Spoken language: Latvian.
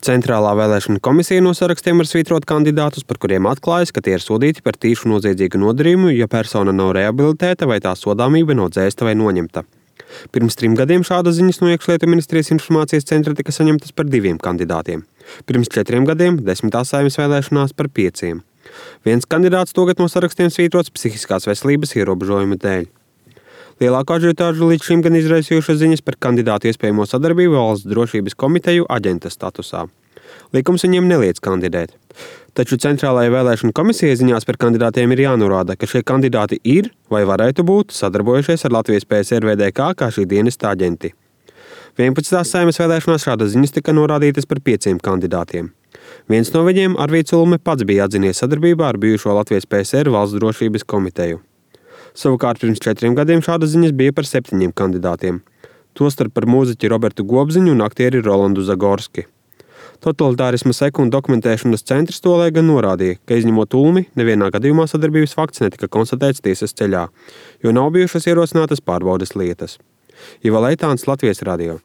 Centrālā vēlēšana komisija no sarakstiem var svītrot kandidātus, par kuriem atklājas, ka tie ir sodīti par tīšu noziedzīgu nodarījumu, ja persona nav rehabilitēta vai tā sodāmība nav dzēsta vai noņemta. Pirms 3 gadiem šādas ziņas no Iekšlietu ministrijas informācijas centra tika saņemtas par 2 kandidātiem. Pirms 4 gadiem 10. Saeimas vēlēšanās par 5. Viens kandidāts tagad no sarakstiem svītrots psihiskās veselības ierobežojuma dēļ. Lielākā ažiotāžu līdz šim gan izraisījušas ziņas par kandidātu iespējamo sadarbību Valsts drošības komiteju aģenta statusā. Likums viņiem neliedz kandidēt. Taču Centrālajai vēlēšana komisijai ziņās par kandidātiem ir jānorāda, ka šie kandidāti ir vai varētu būt sadarbojušies ar Latvijas PSR VDK kā šī dienesta aģenti. 11. Saeimas vēlēšanās šādas ziņas tika norādītas par 5 kandidātiem. Viens no viņiem, Arvīds Ulme, pats bija atzinies sadarbībā ar bijušo Latvijas PSR Valsts drošības komiteju. Savukārt pirms 4 gadiem šādas ziņas bija par 7 kandidātiem. Tostarp par mūziķi Robertu Gobziņu un aktieri Rolandu Zagorski. Totalitārisma seku un dokumentēšanas centrs tolaik gan norādīja, ka izņemot Ulmi, nevienā gadījumā sadarbības fakts netika konstatēts tiesas ceļā, jo nav bijušas ierosinātas pārbaudes lietas. Iva Leitāns, Latvijas radio.